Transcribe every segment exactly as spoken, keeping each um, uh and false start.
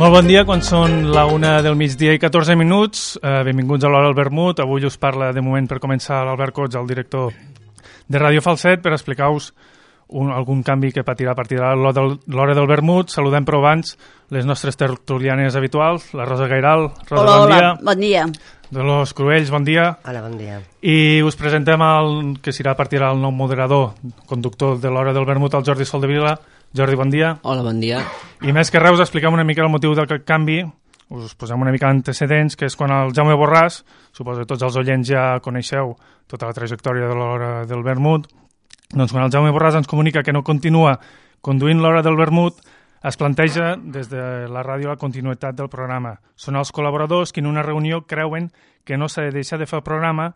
Molt bon dia, quan són la una del migdia i catorze minuts. Eh, benvinguts a l'Hora del Vermut. Avui us parla de moment per començar l'Albert Cots, el director de Ràdio Falset, per explicar-vos un, algun canvi que patirà a partir de l'Hora del Vermut. Saludem però abans les nostres tertulianes habituals, la Rosa Gairal. Rosa, hola, bon hola, dia. bon dia. Dolors Cruells, bon dia. Hola, bon dia. I us presentem el que serà a partir del nou moderador, conductor de l'Hora del Vermut, el Jordi Soldevila. Jordi, bon dia. Hola, bon dia. I més que res us expliquem una mica el motiu del canvi, us posem una mica antecedents, que és quan el Jaume Borràs, suposo que tots els oients ja coneixeu tota la trajectòria de l'Hora del Vermut, doncs quan el Jaume Borràs ens comunica que no continua conduint l'Hora del Vermut, es planteja des de la ràdio la continuïtat del programa. Són els col·laboradors que en una reunió creuen que no s'ha de deixar de fer el programa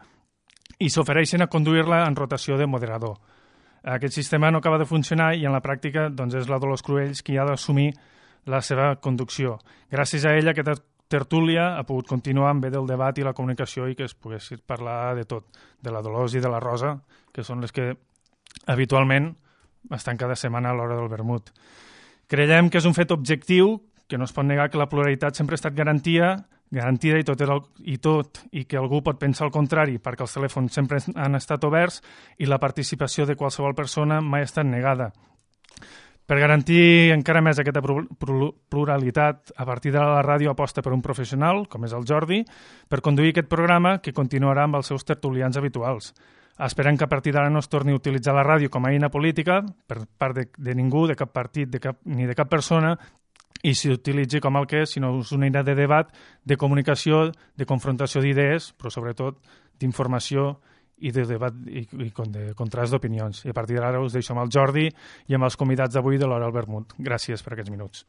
i s'ofereixen a conduir-la en rotació de moderador. Aquest sistema no acaba de funcionar i en la pràctica doncs, és la Dolors Cruells qui ha d'assumir la seva conducció. Gràcies a ella aquesta tertúlia ha pogut continuar amb bé del debat i la comunicació i que es pogués parlar de tot, de la Dolors i de la Rosa, que són les que habitualment estan cada setmana a l'Hora del Vermut. Creiem que és un fet objectiu, que no es pot negar que la pluralitat sempre ha estat garantia, garantida i tot, el, i tot i que algú pot pensar el contrari perquè els telèfons sempre han estat oberts i la participació de qualsevol persona mai ha estat negada. Per garantir encara més aquesta pluralitat, a partir de la ràdio aposta per un professional, com és el Jordi, per conduir aquest programa que continuarà amb els seus tertulians habituals. Esperem que a partir d'ara no es torni a utilitzar la ràdio com a eina política per part de, de ningú, de cap partit de cap, ni de cap persona, i s'utilitzi com el que és, sinó és una eina de debat, de comunicació, de confrontació d'idees, però sobretot d'informació i de debat i, i de contrast d'opinions. I a partir d'ara us deixo amb el Jordi i amb els convidats d'avui de l'Hora del Vermut. Gràcies per aquests minuts.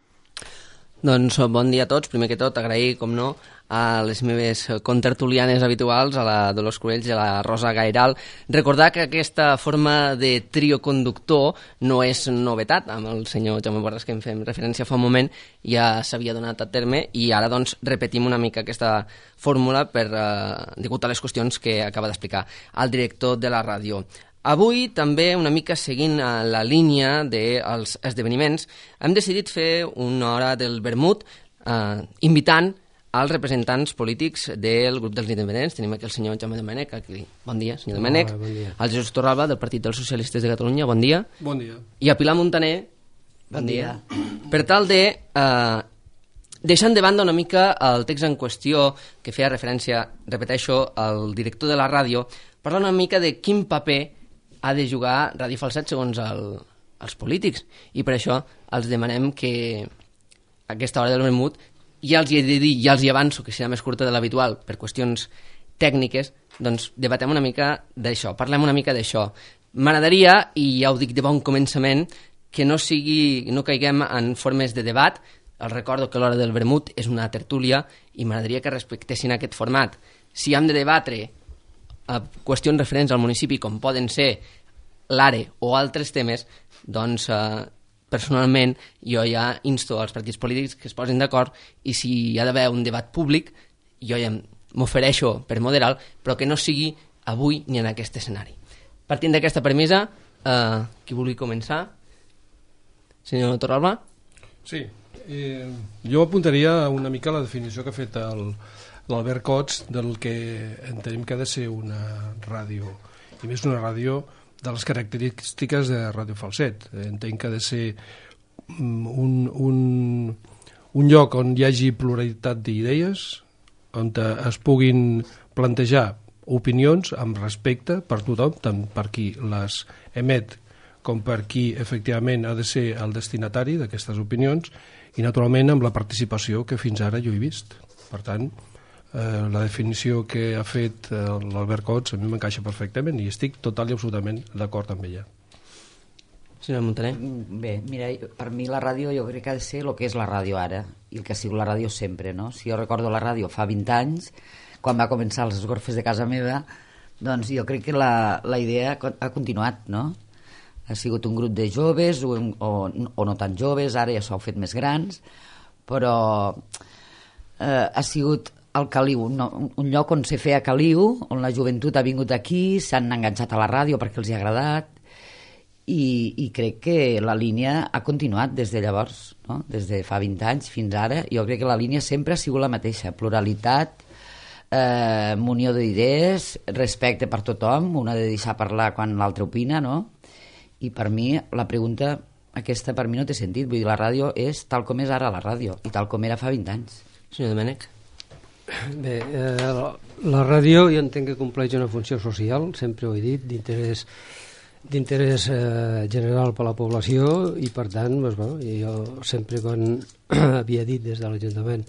Doncs bon dia a tots. Primer que tot, agrair, com no, a les meves contertulianes habituals, a la Dolors Cruells i a la Rosa Gairal. Recordar que aquesta forma de trio conductor no és novetat. Amb el senyor Jaume Borràs, que en fem referència fa un moment, ja s'havia donat a terme i ara doncs repetim una mica aquesta fórmula per, eh, degut a les qüestions que acaba d'explicar el director de la ràdio. Avui, també, una mica seguint la línia dels esdeveniments, hem decidit fer una hora del vermut eh, invitant als representants polítics del grup dels independents. Tenim aquí el senyor Jaume Domènech. Aquí. Bon dia, senyor Domènech. Hola, bon dia. El Jesús Torralba, del Partit dels Socialistes de Catalunya. Bon dia. Bon dia. I a Pilar Montaner. Bon, bon dia. dia. Per tal de... Eh, deixant de banda una mica el text en qüestió que feia referència, repeteixo, al director de la ràdio, parlar una mica de quin paper ha de jugar Ràdio Falset segons el, els polítics. I per això els demanem que a aquesta hora del vermut, ja els hi he de dir, ja els hi avanço, que serà més curta de l'habitual per qüestions tècniques, doncs debatem una mica d'això, parlem una mica d'això. M'agradaria, i ja ho dic de bon començament, que no sigui, no caiguem en formes de debat. Els recordo que l'Hora del Vermut és una tertúlia i m'agradaria que respectessin aquest format. Si hem de debatre a qüestions referents al municipi, com poden ser l'A R E o altres temes, doncs eh, personalment jo ja insto als partits polítics que es posin d'acord i si hi ha d'haver un debat públic, jo ja m'ofereixo per moderar, però que no sigui avui ni en aquest escenari. Partint d'aquesta premissa, eh, qui vulgui començar? Senyor Torralba? Sí, eh, jo apuntaria una mica la definició que ha fet el l'Albert Cots del que entenem que ha de ser una ràdio, i més una ràdio de les característiques de Ràdio Falset. Entenc que ha de ser un, un, un lloc on hi hagi pluralitat d'idees, on es puguin plantejar opinions amb respecte per tothom, tant per qui les emet com per qui efectivament ha de ser el destinatari d'aquestes opinions, i naturalment amb la participació que fins ara jo he vist. Per tant, Eh, la definició que ha fet eh, l'Albert Cots a mi m'encaixa perfectament i estic total i absolutament d'acord amb ella. Senyor Montaner? Bé, mira, per mi la ràdio jo crec que ha de ser el que és la ràdio ara i el que ha sigut la ràdio sempre, no? Si jo recordo la ràdio fa vint anys, quan va començar els esgorfes de casa meva, doncs jo crec que la, la idea ha continuat, no? Ha sigut un grup de joves o, o, o no tan joves, ara ja s'ho fet més grans, però eh, ha sigut el Caliu, no, un lloc on se feia Caliu, on la joventut ha vingut aquí, s'han enganxat a la ràdio perquè els hi ha agradat, i, i crec que la línia ha continuat des de llavors, no? Des de fa vint anys fins ara. Jo crec que la línia sempre ha sigut la mateixa: pluralitat, eh, munió d'idees, respecte per tothom, un ha de deixar parlar quan l'altre opina, no? I per mi la pregunta aquesta per mi no té sentit, vull dir, la ràdio és tal com és ara la ràdio i tal com era fa vint anys. Senyor Domènech. Bé, eh, la, la ràdio jo entenc que compleix una funció social, sempre ho he dit, d'interès d'interès eh, general per a la població, i per tant doncs, bueno, jo sempre quan havia dit des de l'Ajuntament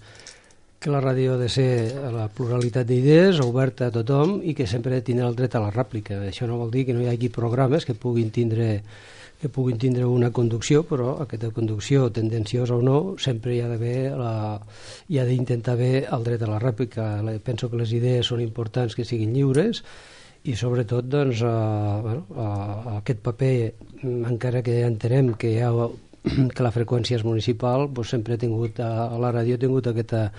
que la ràdio ha de ser la pluralitat d'idees, oberta a tothom, i que sempre ha de tindre el dret a la rèplica. Això no vol dir que no hi hagi programes que puguin tindre que puguin tindre una conducció, però aquesta conducció, tendenciosa o no, sempre hi ha d'haver la, hi ha d'intentar haver el dret a la rèplica. Penso que les idees són importants que siguin lliures, i sobretot doncs, eh, bueno, eh, aquest paper, encara que entenem que, hi ha, que la freqüència és municipal, doncs sempre ha tingut, a, a la ràdio ha tingut aquesta,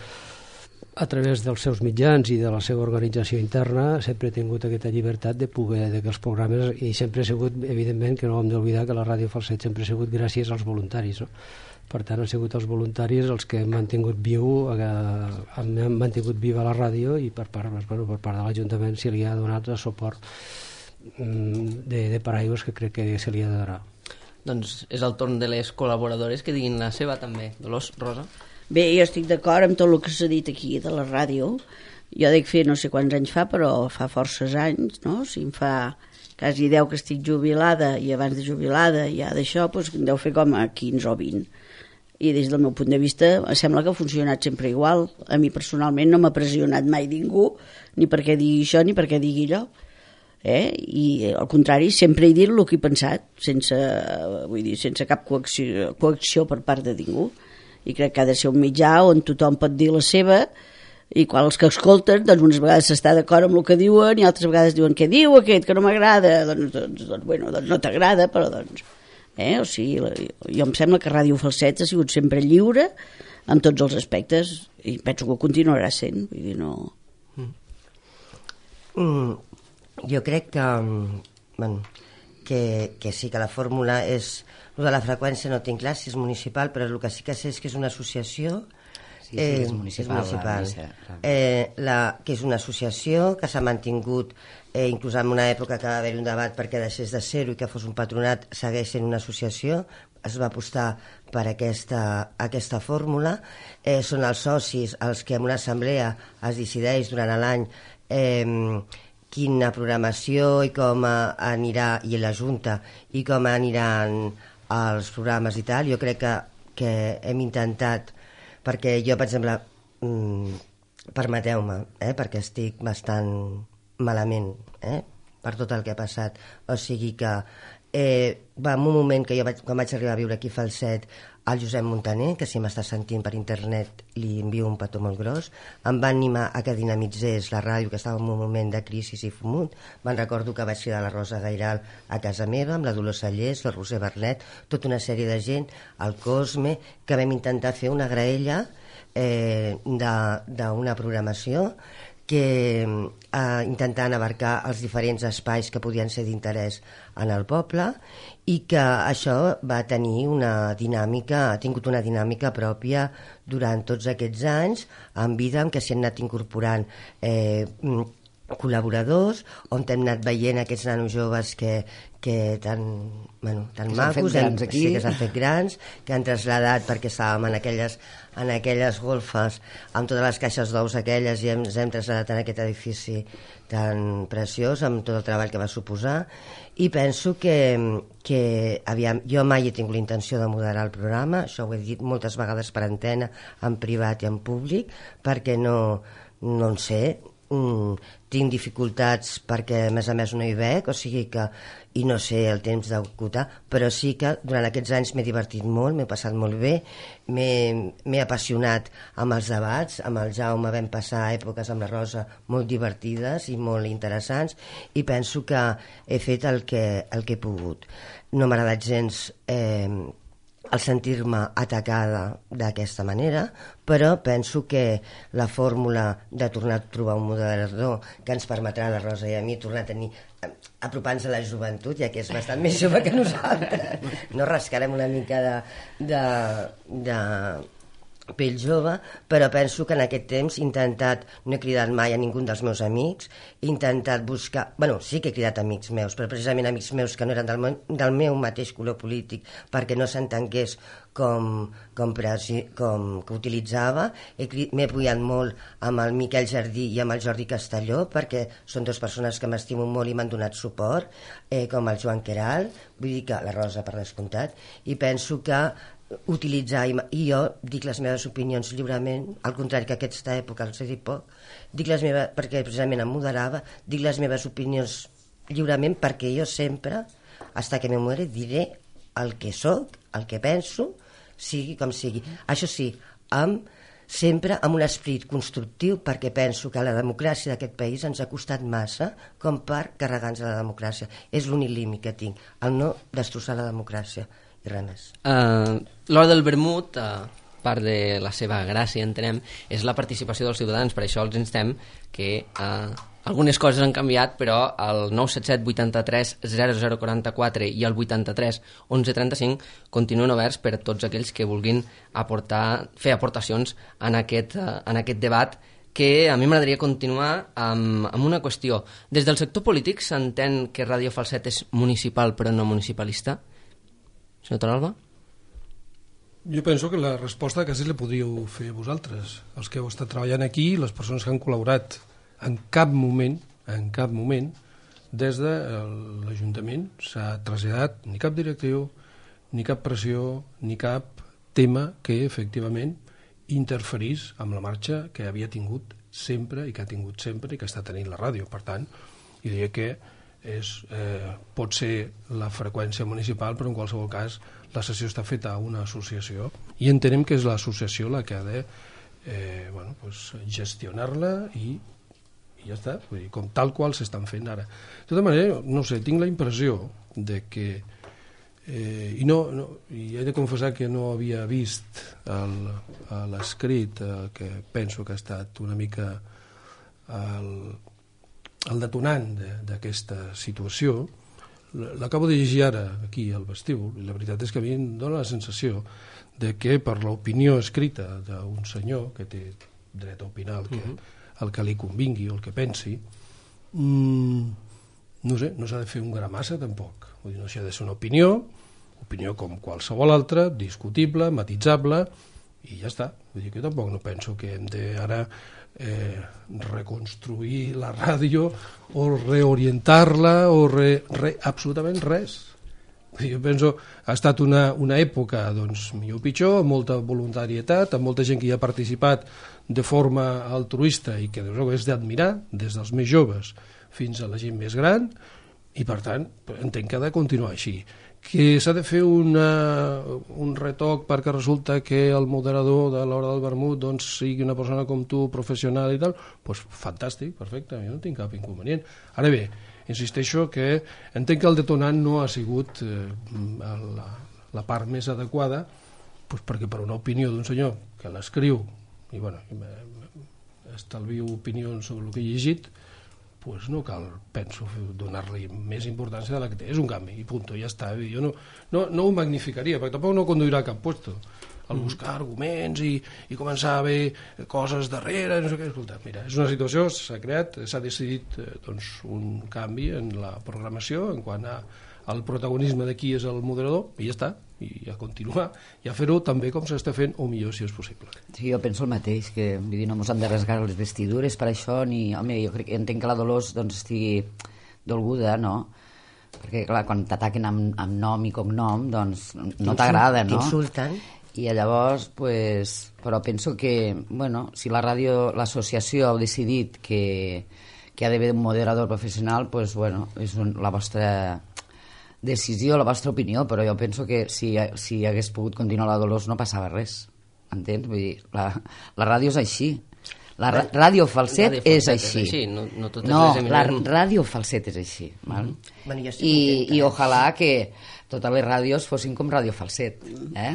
a través dels seus mitjans i de la seva organització interna, sempre ha tingut aquesta llibertat de poder, de que els programes, i sempre ha sigut, evidentment, que no hem d'oblidar que la Ràdio Falset sempre ha sigut gràcies als voluntaris, no? Per tant, han sigut els voluntaris els que han mantingut viu, eh, han mantingut viva la ràdio, i per part, bueno, per part de l'Ajuntament se li ha donat el suport de, de paraigües que crec que se li ha de donar. Doncs és el torn de les col·laboradores que diguin la seva també. Dolors, Rosa? Bé, jo estic d'acord amb tot el que s'ha dit aquí de la ràdio. Jo dic fer no sé quants anys fa, però fa forces anys, no? Si em fa quasi deu que estic jubilada, i abans de jubilada ja d'això, doncs em deu fer com a quinze o vint. I des del meu punt de vista sembla que ha funcionat sempre igual. A mi personalment no m'ha pressionat mai ningú, ni perquè digui això ni perquè digui allò, eh? I al contrari, sempre he dit el que he pensat, sense, vull dir, sense cap coacció, coacció per part de ningú, i crec que ha de ser un mitjà on tothom pot dir la seva, i quan els que escolten, doncs unes vegades s'està d'acord amb el que diuen i altres vegades diuen: què diu aquest, que no m'agrada? Doncs, doncs, doncs, bueno, doncs no t'agrada, però doncs Eh? O sigui, jo em sembla que Ràdio Falset ha sigut sempre lliure en tots els aspectes, i penso que ho continuarà sent, vull dir, no... Mm, jo crec que, bueno, que, que sí que la fórmula és... El de la freqüència no tinc clar si és municipal, però el que sí que sé és que és una associació. Sí, sí, és municipal. És municipal. La, eh, la, que és una associació que s'ha mantingut, eh, inclús en una època que va haver un debat perquè deixés de ser-ho i que fos un patronat, segueix sent una associació. Es va apostar per aquesta, aquesta fórmula. Eh, són els socis els que en una assemblea es decideix durant l'any eh, quina programació i com anirà, i la Junta, i com aniran els programes i tal. Jo crec que, que hem intentat, perquè jo, per exemple, mmm, permeteu-me, eh, perquè estic bastant malament, eh, per tot el que ha passat. O sigui que eh, va en un moment que jo vaig, quan vaig arribar a viure aquí a Falset, el Josep Montaner, que si m'està sentint per internet li envio un petó molt gros, em va animar a que dinamitzés la ràdio, que estava en un moment de crisi i fumut. Me'n recordo que vaig cridar la Rosa Gairal a casa meva, amb la Dolors Sallés, la Roser Bernet, tota una sèrie de gent, el Cosme, que vam intentar fer una graella eh, d'una programació que eh, intentant abarcar els diferents espais que podien ser d'interès en el poble, i que això va tenir una dinàmica, ha tingut una dinàmica pròpia durant tots aquests anys, en vida en què s'hi han anat incorporant eh, col·laboradors, on hem anat veient aquests nanos joves que, que tan, bueno, tan que macos, hem, sí, que s'han fet grans, que han traslladat perquè estàvem en aquelles, en aquelles golfes amb totes les caixes d'ous aquelles, i ens hem traslladat en aquest edifici tan preciós, amb tot el treball que va suposar. I penso que, que aviam, jo mai he tingut la intenció de moderar el programa, això ho he dit moltes vegades per antena, en privat i en públic, perquè no, no en sé, Mm, tinc dificultats perquè a més a més no hi veig, o sigui que, i no sé el temps d'acotar, però sí que durant aquests anys m'he divertit molt, m'he passat molt bé, m'he apassionat amb els debats, amb el Jaume vam passar èpoques amb la Rosa molt divertides i molt interessants, i penso que he fet el que, el que he pogut. No m'ha agradat gens eh, el sentir-me atacada d'aquesta manera, però penso que la fórmula de tornar a trobar un moderador que ens permetrà a la Rosa i a mi tornar a tenir, apropant-nos a la joventut, ja que és bastant més jove que nosaltres, no rascarem una mica de, de, de pell jove, però penso que en aquest temps he intentat, no he cridat mai a ningú dels meus amics, he intentat buscar, bueno, sí que he cridat amics meus, però precisament amics meus que no eren del, meu, del meu mateix color polític, perquè no s'entengués com, com, presi, com que utilitzava. M'he apoyat molt amb el Miquel Jardí i amb el Jordi Castelló, perquè són dues persones que m'estimo molt i m'han donat suport, eh, com el Joan Queralt, vull dir que la Rosa per descomptat, i penso que utilitzar, i jo dic les meves opinions lliurement, al contrari que aquesta època els he dit poc, dic les meves, perquè precisament em moderava, dic les meves opinions lliurement perquè jo sempre, hasta que me muere, diré el que sóc, el que penso, sigui com sigui. Això sí, amb, sempre amb un esperit constructiu, perquè penso que la democràcia d'aquest país ens ha costat massa com per carregar-nos la democràcia. És l'únic límit que tinc, el no destrossar la democràcia. I res més. Uh, L'hora del vermut, uh, part de la seva gràcia, entenem, és la participació dels ciutadans. Per això els instem que uh, algunes coses han canviat, però el nou set set vuitanta-tres zero zero quaranta-quatre i el vuitanta-tres onze trenta-cinc continuen oberts per a tots aquells que vulguin aportar, fer aportacions en aquest, uh, en aquest debat, que a mi m'agradaria continuar amb, amb una qüestió. Des del sector polític s'entén que Ràdio Falset és municipal però no municipalista? Senyor Torralba? Jo penso que la resposta quasi la podríeu fer vosaltres, els que heu estat treballant aquí, les persones que han col·laborat. En cap moment, en cap moment, des de l'Ajuntament s'ha traslladat ni cap directiu, ni cap pressió, ni cap tema que efectivament interferís amb la marxa que havia tingut sempre i que ha tingut sempre i que està tenint la ràdio. Per tant, jo diria que és, eh, pot ser la freqüència municipal, però en qualsevol cas la sessió està feta a una associació i entenem que és l'associació la que ha de eh, bueno, pues, gestionar-la i, i ja està, vull dir, com tal qual s'estan fent ara. De tota manera, no sé, tinc la impressió de que eh, i, no, no, i he de confessar que no havia vist l'escrit eh, que penso que ha estat una mica el el detonant d'aquesta situació. L'acabo de llegir ara aquí al vestíbul i la veritat és que a mi em dóna la sensació de que per l'opinió escrita d'un senyor que té dret a opinar el que, uh -huh. el que li convingui o el que pensi, mmm, no sé, no s'ha de fer un gramassa tampoc. Vull dir, no s'ha de ser una opinió, opinió com qualsevol altra, discutible, matitzable, i ja està. Vull dir que jo tampoc no penso que hem de ara Eh, reconstruir la ràdio o reorientar-la o re, re, absolutament res. Jo penso ha estat una, una època doncs, millor o pitjor, amb molta voluntarietat, amb molta gent que hi ha participat de forma altruista i que és d'admirar, des dels més joves fins a la gent més gran, i per tant entenc que ha de continuar així. Que s'ha de fer una, un retoc perquè resulta que el moderador de l'hora del vermut doncs, sigui una persona com tu, professional i tal, doncs fantàstic, perfecte, jo no tinc cap inconvenient. Ara bé, insisteixo que entenc que el detonant no ha sigut eh, la, la part més adequada, doncs perquè per una opinió d'un senyor que l'escriu, i bueno, estalvio opinions sobre el que he llegit, pues no cal, penso, donar-li més importància de la que té. És un canvi, i punt, ja està. Jo no, no, no ho magnificaria, perquè tampoc no conduirà a cap puesto. Al buscar arguments i, i començar a haver coses darrere, no sé què. Escolta, mira, és una situació, s'ha creat, s'ha decidit doncs, un canvi en la programació en quant a, al protagonisme de qui és el moderador, i ja està, i a continuar, i a fer-ho també com s'està fent, o millor si és possible. Sí, jo penso el mateix, que vull dir, no ens han de rasgar les vestidures per això, ni, home, jo crec, entenc que la Dolors doncs, estigui dolguda, no? Perquè, clar, quan t'ataquen amb, amb nom i cognom, doncs no t'agrada, no? T'insulten. I llavors, pues, però penso que, bueno, si la ràdio, l'associació ha decidit que, que ha d'haver un moderador professional, pues, bueno, és un, la vostra decisió, la vostra opinió, però jo penso que si, si hagués pogut continuar la Dolors no passava res, entens? Vull dir, la, la ràdio és així. La ra ràdio falset, ràdio falset és així. És així. No, no, no la ràdio falset és així. Val? Mm -hmm. Bueno, sí I, I ojalà que totes les ràdios fossin com Ràdio Falset, eh?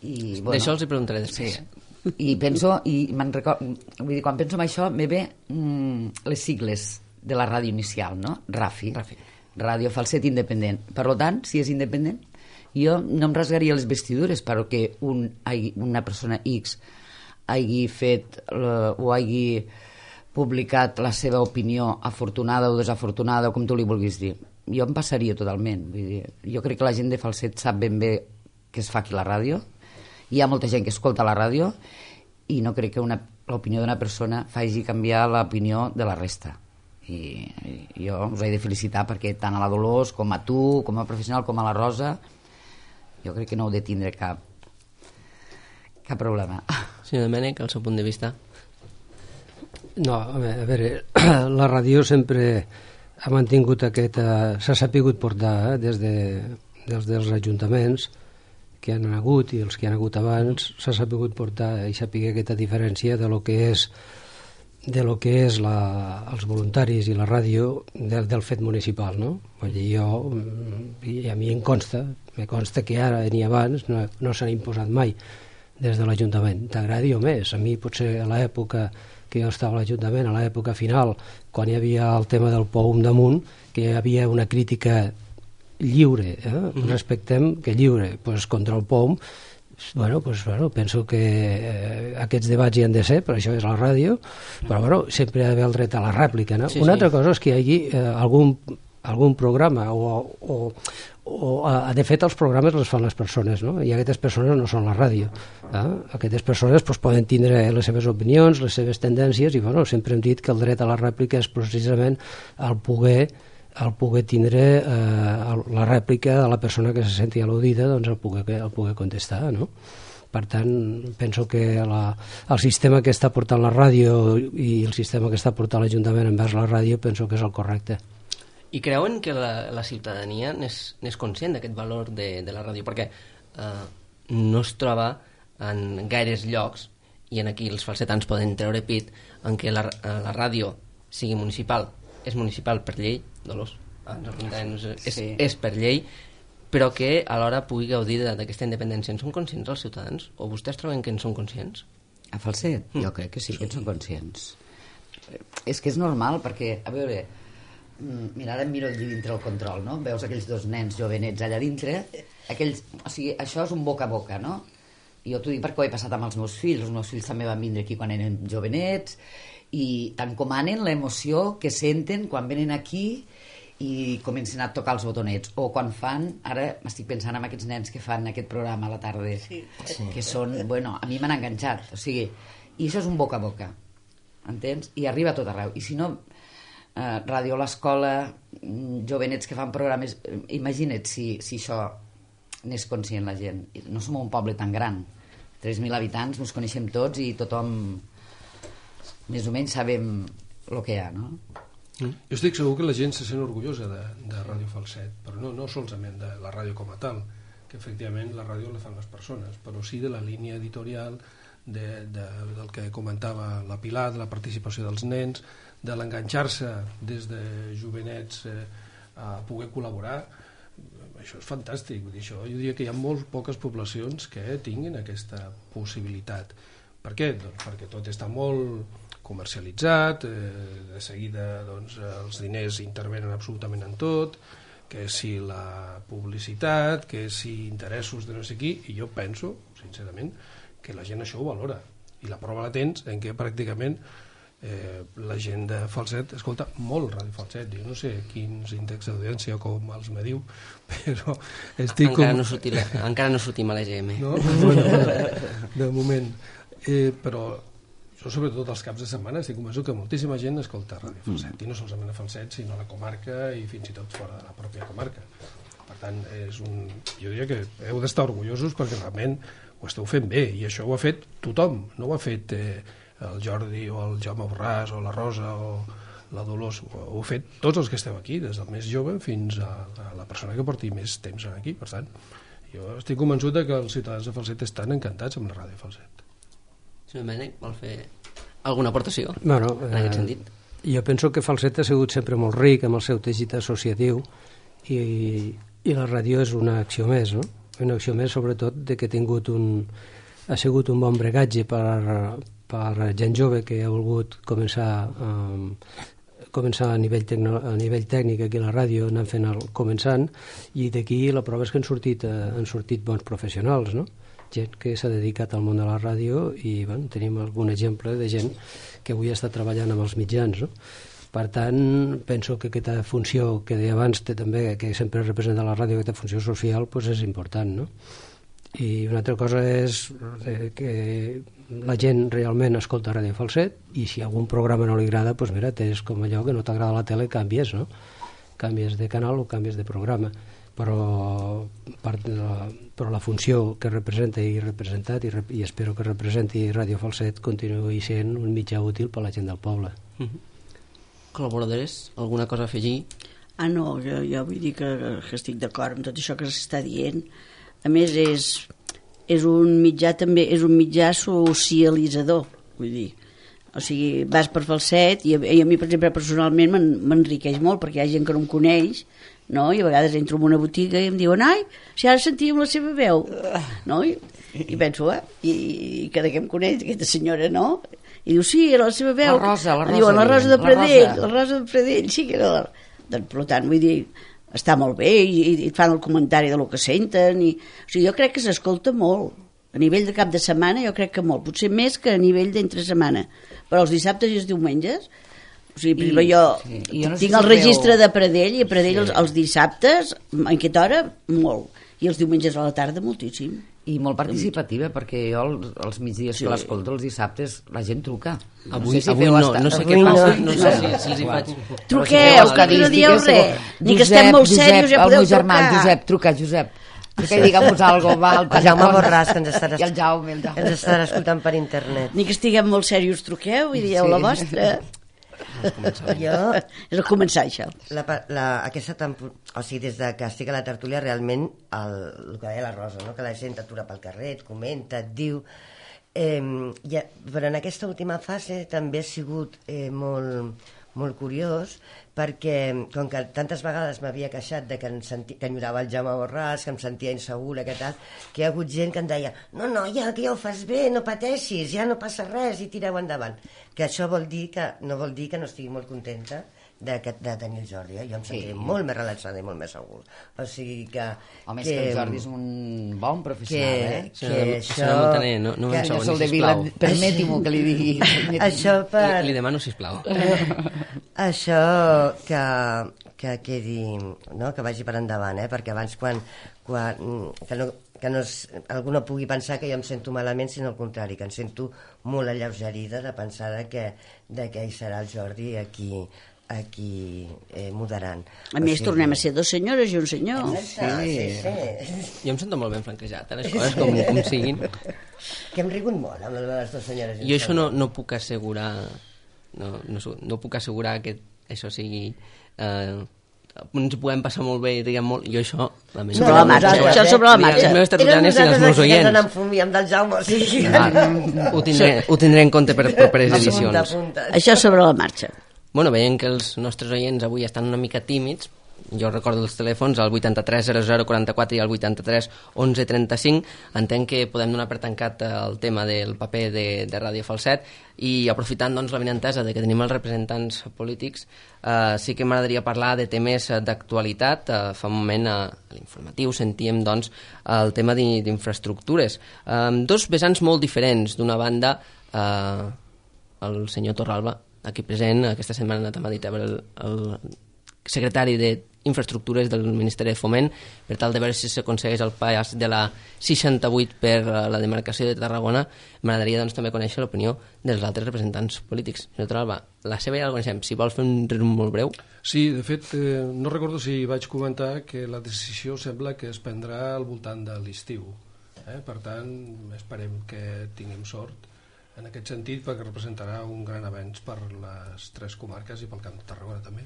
I, bueno, d'això els hi preguntaré després. Sí. I penso, i me'n record, vull dir, quan penso en això, me ve mm, les sigles de la ràdio inicial, no? RAFI, Rafi. Ràdio Falset Independent. Per tant, si és independent, jo no em rasgaria les vestidures perquè un, una persona X hagi fet uh, o hagi publicat la seva opinió afortunada o desafortunada, o com tu li vulguis dir. Jo em passaria totalment. Vull dir, jo crec que la gent de Falset sap ben bé què es fa aquí a la ràdio. Hi ha molta gent que escolta la ràdio i no crec que una, l'opinió d'una persona faci canviar l'opinió de la resta. I, i jo us he de felicitar perquè tant a la Dolors com a tu, com a professional, com a la Rosa, jo crec que no heu de tindre cap cap problema. Senyor Domènech, el seu punt de vista? No, a veure, a veure la ràdio sempre ha mantingut aquest... Eh, s'ha sapigut portar eh, des, de, des dels ajuntaments que han hagut i els que han hagut abans, s'ha sapigut portar i saber aquesta diferència de lo que és de lo que és la, els voluntaris i la ràdio del, del fet municipal, no? Vull dir, jo, i a mi em consta, me consta que ara ni abans no, no s'han imposat mai des de l'Ajuntament, t'agradi o més. A mi potser a l'època que jo estava a l'Ajuntament, a l'època final, quan hi havia el tema del P O U damunt, que hi havia una crítica lliure, eh? Mm-hmm. Respectem que lliure, pues, contra el P O U, bueno, pues, bueno, penso que eh, aquests debats hi han de ser, per això és la ràdio, però bueno, sempre hi ha d'haver el dret a la rèplica, no? Sí, una sí. Altra cosa és que hi hagi eh, algun, algun programa o, o, o a, de fet els programes els fan les persones, no? I aquestes persones no són la ràdio, eh? Aquestes persones pues, poden tindre les seves opinions, les seves tendències i bueno, sempre hem dit que el dret a la rèplica és precisament el poder el poder tindre eh, la rèplica de la persona que se senti al·ludida, doncs el poder, el poder contestar, no? Per tant, penso que la, el sistema que està portant la ràdio i el sistema que està portant l'Ajuntament envers la ràdio penso que és el correcte. I creuen que la, la ciutadania n'és conscient d'aquest valor de, de la ràdio? Perquè eh, no es troba en gaires llocs, i en aquí els falsetans poden treure pit, en què la, la ràdio sigui municipal. És municipal per llei, Dolors, és, sí. és per llei, però que alhora pugui gaudir d'aquesta independència. En són conscients els ciutadans? O vostès troben que en són conscients? A Falset? Mm. Jo crec que sí que en són conscients. És que és normal, perquè, a veure, mira, ara em miro allí dintre el control, no? Veus aquells dos nens jovenets allà dintre, aquells, o sigui, això és un boca a boca, no? I jo t'ho dic perquè ho he passat amb els meus fills, els meus fills també van vindre aquí quan eren jovenets, i t'encomanen l'emoció que senten quan venen aquí i comencen a tocar els botonets, o quan fan, ara m'estic pensant en aquests nens que fan aquest programa a la tarda, sí. que són, bueno, a mi m'han enganxat, o sigui, i això és un boca a boca, entens? I arriba a tot arreu, i si no eh, ràdio a l'escola, jovenets que fan programes, imagina't si, si això n'és conscient la gent. No som un poble tan gran, tres mil habitants, ens coneixem tots i tothom més o menys sabem el que hi ha, no? Mm. Jo estic segur que la gent se sent orgullosa de, de Ràdio Falset, però no, no solament de la ràdio com a tal, que efectivament la ràdio la fan les persones, però sí de la línia editorial, de, de, del que comentava la Pilar, de la participació dels nens, de l'enganxar-se des de jovenets eh, a poder col·laborar. Això és fantàstic. Vull dir, això, jo diria que hi ha molt poques poblacions que tinguin aquesta possibilitat. Per què? Doncs perquè tot està molt comercialitzat, eh, de seguida doncs, els diners intervenen absolutament en tot, que si la publicitat, que si interessos de no sé qui, i jo penso, sincerament, que la gent això ho valora. I la prova la tens en què pràcticament eh, la gent de Falset escolta molt Ràdio Falset. Jo no sé quins índexs d'audiència com els mediu, però estic encara, com... no sortim, encara no sortim a l'E G M. No? Bueno, de moment. Eh, però jo sobretot els caps de setmana estic convençut que moltíssima gent escolta Ràdio Falset, i no solament a Falset sinó a la comarca i fins i tot fora de la pròpia comarca. Per tant, és un... jo diria que heu d'estar orgullosos perquè realment ho esteu fent bé, i això ho ha fet tothom, no ho ha fet eh, el Jordi o el Jaume Borràs o la Rosa o la Dolors, ho heu fet tots els que esteu aquí, des del més jove fins a, a la persona que porti més temps aquí. Per tant, jo estic convençut que els ciutadans de Falset estan encantats amb la Ràdio Falset. Senyor Domènech, vol fer alguna aportació bueno, en aquest sentit? Eh, jo penso que Falset ha sigut sempre molt ric amb el seu teixit associatiu i, i la ràdio és una acció més, no? Una acció més sobretot de que ha tingut un, ha sigut un bon bregatge per, per gent jove que ha volgut començar um, començar a nivell, tecno, a nivell tècnic aquí a la ràdio, anant fent el començant, i d'aquí la prova és que han sortit, eh, han sortit bons professionals, no? Gent que s'ha dedicat al món de la ràdio i bueno, tenim algun exemple de gent que avui està treballant amb els mitjans, no? Per tant, penso que aquesta funció que deia abans té també, que sempre representa la ràdio, aquesta funció social, doncs és important, no? I una altra cosa és que la gent realment escolta Ràdio Falset i si algun programa no li agrada, doncs mira, és com allò que no t'agrada la tele, canvies, no? Canvies de canal o canvies de programa. Però, per la, però la funció que representa i representat i, i espero que representi Ràdio Falset continuï sent un mitjà útil per a la gent del poble. Mm-hmm. Col·laboradores? Alguna cosa a afegir? Ah, no, jo, jo vull dir que, que estic d'acord amb tot això que s'està dient. A més, és, és un mitjà també, és un mitjà socialitzador, vull dir. O sigui, vas per Falset i a, i a mi, per exemple, personalment m'enriqueix molt perquè hi ha gent que no em coneix, no? I a vegades entro en una botiga i em diuen ai, si ara sentíem la seva veu, no? I, i penso, eh? I, i cada que em coneix aquesta senyora, no? I diu, sí, era la seva veu. La Rosa, la Rosa. Diuen, la Rosa de Pradell, la Rosa. la Rosa de Pradell, sí que era la... Doncs, per tant, vull dir, està molt bé i, i et fan el comentari de lo que senten i, o sigui, jo crec que s'escolta molt a nivell de cap de setmana, jo crec que molt, potser més que a nivell d'entre setmana, però els dissabtes i els diumenges, o sigui, I, jo, sí. jo no tinc el registre veu... de Pradell i a Pradell sí. els, els dissabtes en aquesta hora molt, i els diumenges a la tarda moltíssim. I molt participativa, perquè jo els, els migdies sí. que l'escolto, els dissabtes, la gent truca. Avui no sé, si avui no, estar... no sé què passa, no, no sé si, si els hi faig... Truqueu, que no dieu res, ni que estem molt serios, ja podeu trucar. El meu germà, Josep, truca, Josep. Truca i digue'm-nos alguna cosa. El Jaume Borràs, que ens estarà, el Jaume, el Jaume. ens estarà escoltant per internet. Ni que estiguem molt serios, truqueu i dieu sí. la vostra. Jo... És a començar, això. La, la, aquesta temporada, o sigui, des de que estic a la tertúlia, realment, el, el que deia la Rosa, no? Que la gent t'atura pel carrer, et comenta, et diu... Eh, ja, però en aquesta última fase també ha sigut eh, molt, molt curiós, perquè com que tantes vegades m'havia queixat de que, em senti, que enyorava el Jaume Borràs, que em sentia insegura, que tal, que hi ha hagut gent que em deia no, no, ja, que ja ho fas bé, no pateixis, ja no passa res i tireu endavant. Que això vol dir que, no vol dir que no estigui molt contenta de, de tenir el Jordi, eh? Jo em sentiré sí. molt més relaxada i molt més segur. O sigui que... Home, és que, que el Jordi és un bon professional, que, eh? Que, que això... Montaner, no, no que, em segoni, sisplau. Permeti-m'ho que li digui. Això per... Li, li demano, sisplau. Això que, que quedi, no? Que vagi per endavant, eh? Perquè abans quan... quan que no, que no es, algú no pugui pensar que jo em sento malament, sinó al contrari, que em sento molt alleugerida de pensar de que, de que hi serà el Jordi aquí, aquí eh, moderant. A més, o sigui, tornem a ser dos senyores i un senyor. Exacte, sí, sí, sí. Jo em sento molt ben franquejat, eh, les coses com, com siguin. Que hem rigut molt amb les dues senyores. Jo això no, no puc assegurar, no, no, no puc assegurar que això sigui... Eh, ens ho podem passar molt bé i diguem molt... Jo això... Lamento. Sobre la marxa, no, això sobre la marxa. Les meves tertulianes i els meus oients. Érem nosaltres amb del Jaume, o sigui... Ah, ho, tindré, ho tindré en compte per properes edicions. Apunta, apunta. Això sobre la marxa. Bueno, veient que els nostres oients avui estan una mica tímids, jo recordo els telèfons, el vuitanta-tres zero zero quaranta-quatre i el vuitanta-tres onze trenta-cinc. Entenc que podem donar per tancat el tema del paper de, de Ràdio Falset i aprofitant doncs, la benentesa de que tenim els representants polítics, eh, sí que m'agradaria parlar de temes d'actualitat. Eh, fa un moment a l'informatiu sentíem doncs, el tema d'infraestructures. Eh, dos vessants molt diferents. D'una banda, eh, el senyor Torralba, aquí present, aquesta setmana ha anat a Madrid a veure el, el secretari d'Infraestructures del Ministeri de Foment per tal de veure si s'aconsegueix el pas de la seixanta-vuit per la demarcació de Tarragona. M'agradaria doncs, també conèixer l'opinió dels altres representants polítics. Senyor Torralba, la seva ja la coneixem. Si vols fer un resum molt breu. Sí, de fet, eh, no recordo si vaig comentar que la decisió sembla que es prendrà al voltant de l'estiu. Eh? Per tant, esperem que tinguem sort en aquest sentit, perquè representarà un gran avenç per les tres comarques i pel Camp de Tarragona també.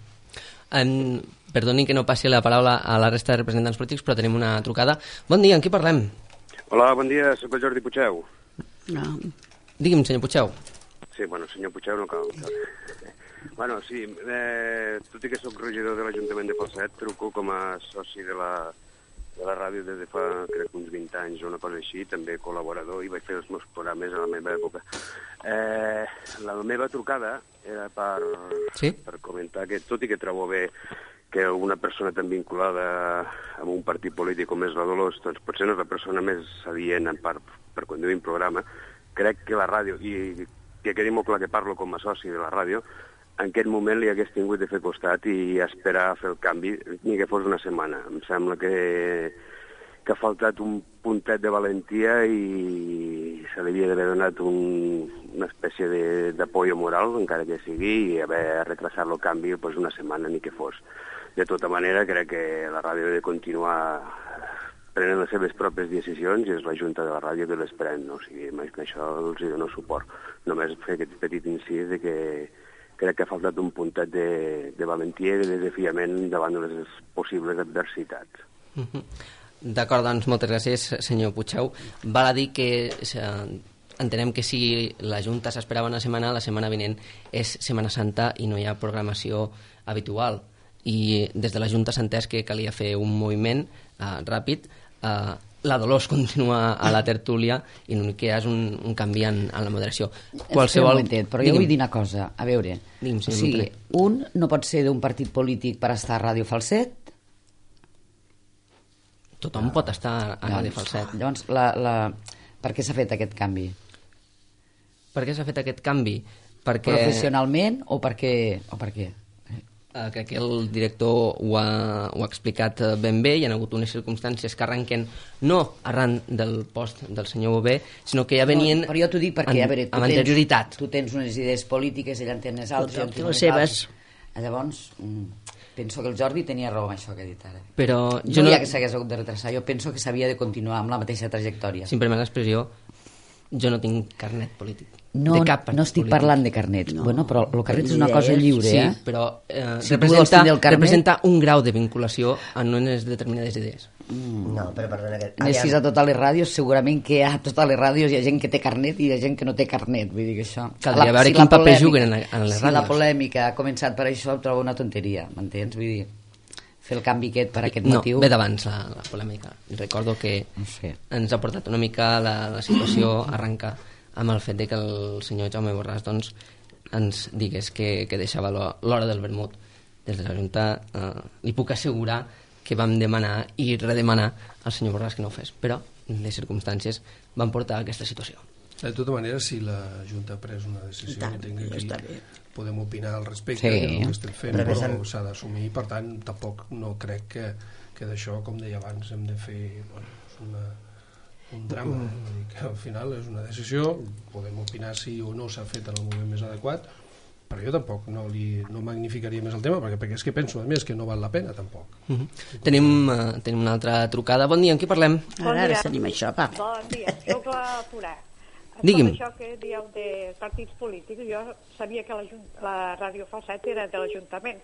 En, perdoni que no passi la paraula a la resta de representants polítics, però tenim una trucada. Bon dia, amb qui parlem? Hola, bon dia, soc el Jordi Puigdeu. No. Digui'm, senyor Puigdeu. Sí, bueno, senyor Puigdeu no cal. Bueno, sí, eh, tot i que soc regidor de l'Ajuntament de Falset, truco com a soci de la de la ràdio des de fa, crec, uns vint anys o una cosa així, també col·laborador, i vaig fer els meus programes a la meva època. Eh, la meva trucada era per, sí? per comentar que, tot i que trobo bé que una persona tan vinculada amb un partit polític com és la Dolors, doncs potser no és la persona més adient per, per conduir un programa, crec que la ràdio, i que quedi molt clar que parlo com a soci de la ràdio, en aquest moment li hagués tingut de fer costat i esperar a fer el canvi, ni que fos una setmana. Em sembla que, que ha faltat un puntet de valentia i se li havia d'haver donat un, una espècie d'apoyo moral, encara que sigui, i haver retrasat el canvi pues, una setmana ni que fos. De tota manera, crec que la ràdio ha de continuar prenent les seves pròpies decisions i és la Junta de la Ràdio que les pren, no? O sigui, amb això els dono suport. Només fer aquest petit incís de que crec que ha faltat un puntet de, de valentia i de desafiament davant de les possibles adversitats. Uh-huh. D'acord, doncs moltes gràcies, senyor Puigdeu. Val a dir que eh, entenem que si la Junta s'esperava una setmana, la setmana vinent és Setmana Santa i no hi ha programació habitual. I des de la Junta s'ha entès que calia fer un moviment eh, ràpid. Eh, la Dolors continua a la tertúlia i l'únic que hi ha és un, un canvi en, en la moderació. Qualsevol... Un momentet, però jo vull dir una cosa. A veure, Digue'm, o sigui, un no pot ser d'un partit polític per estar a Ràdio Falset. Tothom no. pot estar a Ràdio Falset. Llavors, la, la... per què s'ha fet aquest canvi? Per què s'ha fet aquest canvi? Perquè... Professionalment o per què? O per què? Uh, crec que el director ho ha, ho ha explicat ben bé. Hi ha hagut unes circumstàncies que arrenquen no arran del post del senyor Bové, sinó que ja venien no, però jo t'ho dic perquè, en, a veure, tu amb anterioritat. Tens, tu tens unes idees polítiques, ella en té unes altres, Tothom té les seves. Llavors, penso que el Jordi tenia raó amb això que ha dit ara. Però jo jo no no hi ha que s'hagués hagut de retrasar, jo penso que s'havia de continuar amb la mateixa trajectòria. Si em permet l'expressió, jo no tinc carnet polític. No, de cap no estic polític. parlant de carnets. No. Bueno, però el carnet és una Idees. cosa lliure, sí, eh? però eh, Si representa, carnet... representa un grau de vinculació en unes determinades idees. Mm. No, però perdona... Que... Anessis a totes les ràdios, segurament que a totes les ràdios hi ha gent que té carnet i hi ha gent que no té carnet. Vull dir que això... Caldria la, veure si quin paper polèmica, juguen en, en les si ràdios. Si la polèmica ha començat per això, ho trobo una tonteria, m'entens? Vull dir, fer el canvi aquest per aquest no, motiu... No, ve d'abans la, la polèmica. Recordo que no sé. ens ha portat una mica la, la situació arrenca amb el fet de que el senyor Jaume Borràs doncs, ens digués que, que deixava l'hora del vermut. Des de la Junta eh, li puc assegurar que vam demanar i redemanar al senyor Borràs que no ho fes, però les circumstàncies van portar a aquesta situació. De tota manera, si la Junta ha pres una decisió, tant, entenc que ja aquí podem opinar al respecte, sí. que no ho estem fent, però, però s'ha d'assumir, per tant, tampoc no crec que, que d'això, com deia abans, hem de fer bueno, una, un drama. Vull dir que al final és una decisió, podem opinar si o no s'ha fet en el moment més adequat, però jo tampoc no, li, no magnificaria més el tema, perquè, perquè és que penso, a més, que no val la pena, tampoc. Uh -huh. tenim, uh, tenim una altra trucada. Bon dia, amb qui parlem? Bon ara, ara tenim això, va. Bon dia, soc la Purà. Digui'm. Tot això que dieu de partits polítics, jo sabia que la, la Ràdio Falset era de l'Ajuntament,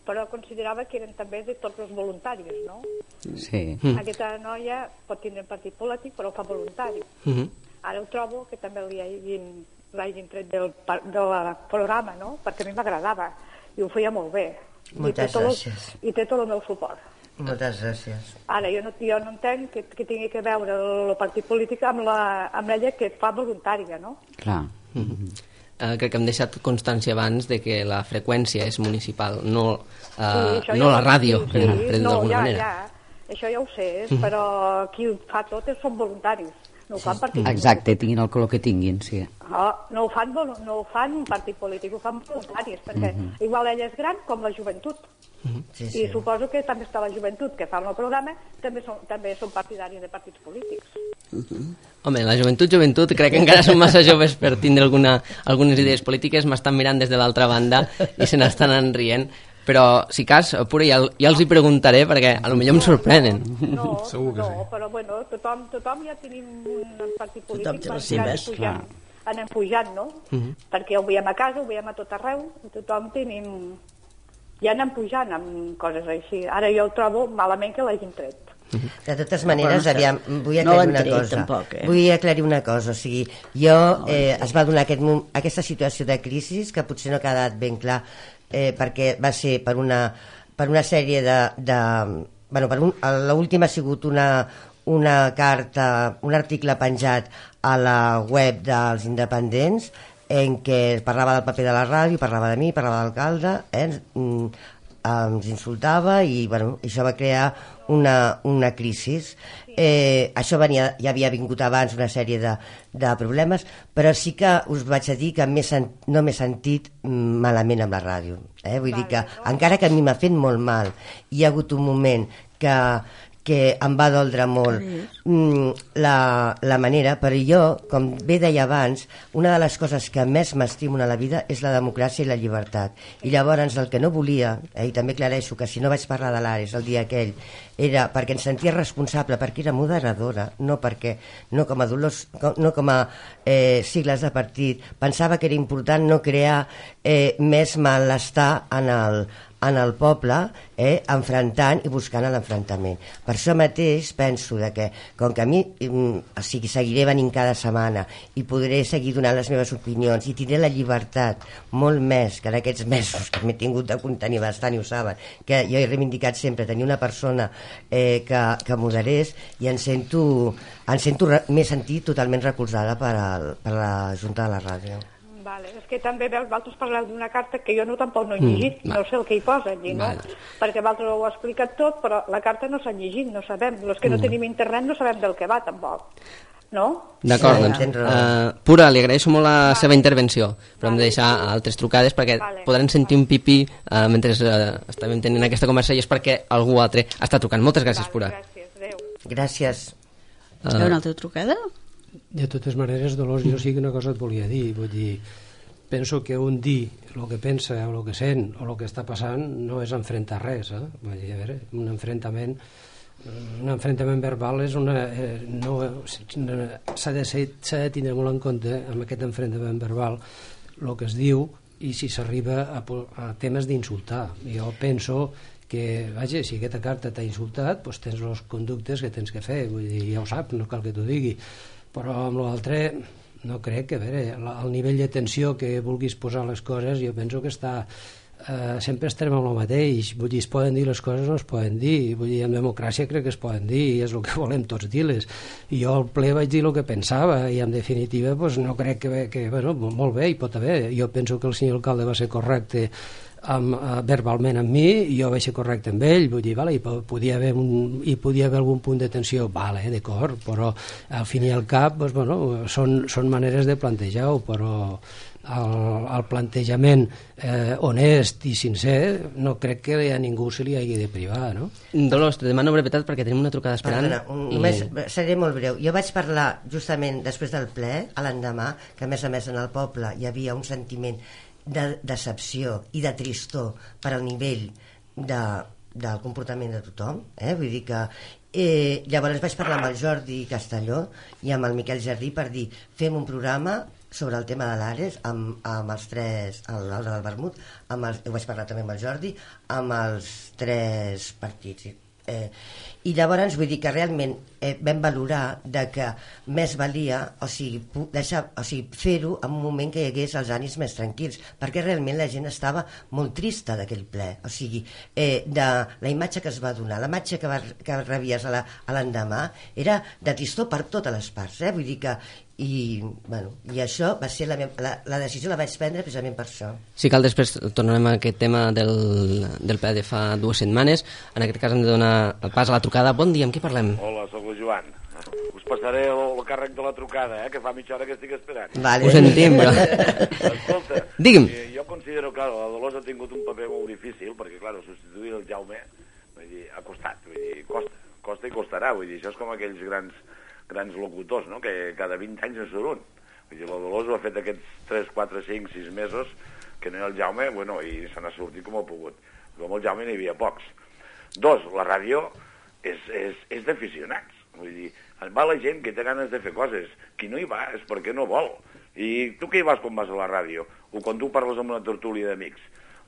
però considerava que eren també de tots els voluntaris, no? Sí. Mm. Aquesta noia pot tindre un partit polític, però ho fa voluntari. Uh -huh. Ara ho trobo que també li hagin, l'hagin tret del, del programa, no? Perquè a mi m'agradava i ho feia molt bé. Moltes I té gràcies. El, I té tot el meu suport. Moltes gràcies. Ara, jo no, jo no entenc que, que tingui que veure el, el partit polític amb, la, amb ella que fa voluntària, no? Clar. Uh -huh. uh, crec que hem deixat constància abans de que la freqüència és municipal, no, uh, sí, no la ràdio, sí, per, sí, per dir-ho no, d'alguna ja, manera. Ja, això ja ho sé, però qui ho fa tot són voluntaris, no ho fan partit Exacte, tinguin el color que tinguin, sí. No, no, ho fan, no ho fan un partit polític, ho fan voluntaris, perquè uh -huh. igual ella és gran com la joventut. Uh -huh. sí, sí. I suposo que també està la joventut que fa el programa, també són, també són partidaris de partits polítics. Uh -huh. Home, la joventut, joventut, crec que encara són massa joves per tindre alguna, algunes idees polítiques, m'estan mirant des de l'altra banda i se n'estan enrient, però si cas, Pura, ja, ja els hi preguntaré perquè a lo millor em sorprenen. No, Segur que no, sí. però bueno, tothom, tothom ja tenim un partit polític, Tothom té les que anem seves, pujant, anem pujant, no? Uh -huh. Perquè ho veiem a casa, ho veiem a tot arreu, i tothom tenim... Ja anem pujant amb coses així. Ara jo ho trobo malament que l'hagin tret. De totes maneres, no, aviam, vull no aclarir una l'han tret, cosa. tampoc, eh? Vull aclarir una cosa. O sigui, jo eh, es va donar aquest, aquesta situació de crisi que potser no ha quedat ben clar eh, perquè va ser per una, per una sèrie de, de, bueno, per un, l'última ha sigut una, una carta, un article penjat a la web dels independents en què parlava del paper de la ràdio, parlava de mi, parlava de l'alcalde, eh? ens insultava i bueno, això va crear una, una crisi. Eh, això venia, ja havia vingut abans una sèrie de, de problemes, però sí que us vaig a dir que sen, no m'he sentit malament amb la ràdio. Eh? Vull dir que, encara que a mi m'ha fet molt mal, hi ha hagut un moment que, que em va doldre molt mm, la, la manera, però jo, com bé deia abans, una de les coses que més m'estimo a la vida és la democràcia i la llibertat. I llavors el que no volia, eh, i també aclareixo que si no vaig parlar de l'Ares el dia aquell, era perquè em sentia responsable, perquè era moderadora, no perquè, no com a dolors, no com a eh, sigles de partit. Pensava que era important no crear eh, més malestar en el, en el poble, eh, enfrontant i buscant l'enfrontament. Per això mateix penso de que, com que a mi o sigui, seguiré venint cada setmana i podré seguir donant les meves opinions i tindré la llibertat molt més que en aquests mesos que m'he tingut de contenir bastant, i ho saben, que jo he reivindicat sempre tenir una persona eh, que, que moderés, i em sento, em sento m'he sentit totalment recolzada per, al, per la Junta de la Ràdio. Vale. És que també veus, vosaltres parleu d'una carta que jo no tampoc no he llegit, mm, no sé el que hi posa allí, no? Vale. Perquè vosaltres ho heu explicat tot, però la carta no s'ha llegit, no sabem. Els que no mm. tenim internet no sabem del que va, tampoc. No? D'acord, sí, doncs, uh, Pura, li agraeixo molt la vale. seva intervenció, però vale. hem de deixar altres trucades perquè vale. podran sentir un pipí uh, mentre uh, estàvem tenint aquesta conversa, i és perquè algú altre està trucant. Moltes gràcies, vale, Pura. Gràcies, adéu. Gràcies. Uh, Hi ha una altra trucada? De totes maneres, Dolors, jo sí que una cosa et volia dir, vull dir, penso que un dir el que pensa o el que sent o el que està passant no és enfrontar res, eh? Vull dir, a veure, un enfrontament un enfrontament verbal és una eh, no, s'ha de, s'ha de tindre molt en compte amb aquest enfrontament verbal el que es diu i si s'arriba a, a temes d'insultar. Jo penso que, vaja, si aquesta carta t'ha insultat, doncs tens els conductes que tens que fer, vull dir, ja ho saps, no cal que t'ho digui, però amb l'altre no crec que, a veure, el nivell de tensió que vulguis posar les coses, jo penso que està eh, sempre estarem amb el mateix, vull dir, es poden dir les coses, no es poden dir, vull dir, en democràcia crec que es poden dir, i és el que volem tots dir-les. I jo al ple vaig dir el que pensava, i en definitiva pues, no crec que, que, bueno, molt bé, hi pot haver, jo penso que el senyor alcalde va ser correcte amb, uh, verbalment amb mi, i jo vaig ser correcte amb ell, vull dir, vale, hi podia haver un, hi podia haver algun punt de tensió, vale, d'acord, però al fin i al cap doncs, bueno, són, són maneres de plantejar-ho, però el, el plantejament eh, honest i sincer no crec que a ningú se li hagi de privar, no? Dolors, te demano brevetat perquè tenim una trucada esperant. Perdona, un, i... només seré molt breu. Jo vaig parlar justament després del ple, a l'endemà, que a més a més en el poble hi havia un sentiment de decepció i de tristor per al nivell de, del comportament de tothom, eh? Vull dir que eh, llavors vaig parlar amb el Jordi Castelló i amb el Miquel Jardí per dir, fem un programa sobre el tema de l'Ares amb, amb els tres, l'Alda del Vermut, amb els, ho vaig parlar també amb el Jordi, amb els tres partits. Eh, i llavors vull dir que realment eh, vam valorar de que més valia, o sigui, deixar, o sigui fer-ho en un moment que hi hagués els ànims més tranquils, perquè realment la gent estava molt trista d'aquell ple, o sigui, eh, de la imatge que es va donar, la imatge que, va, que rebies a l'endemà era de tristor per totes les parts, eh? Vull dir que i, bueno, i això va ser la, la, la decisió la vaig prendre precisament per això. Si cal, després tornarem a aquest tema del, del ple de fa dues setmanes. En aquest cas hem de donar el pas a la trucada. Bon dia, amb qui parlem? Hola, soc el Joan. Us passaré el, el càrrec de la trucada, eh, que fa mitja hora que estic esperant. Vale. Ho sentim, però... Escolta, digui'm. Jo considero, clar, la Dolors ha tingut un paper molt difícil, perquè, clar, substituir el Jaume vull dir, ha costat, vull dir, costa, costa i costarà, vull dir, això és com aquells grans grans locutors, no?, que cada vint anys en surt un. Vull dir, la Dolors ho ha fet aquests tres, quatre, cinc, sis mesos que no hi ha el Jaume, bueno, i se n'ha sortit com ha pogut. Com el Jaume n'hi havia pocs. Dos, la ràdio és, és, és d'aficionats. Vull dir, va la gent que té ganes de fer coses. Qui no hi va és perquè no vol. I tu què hi vas quan vas a la ràdio? O quan tu parles amb una tertúlia d'amics?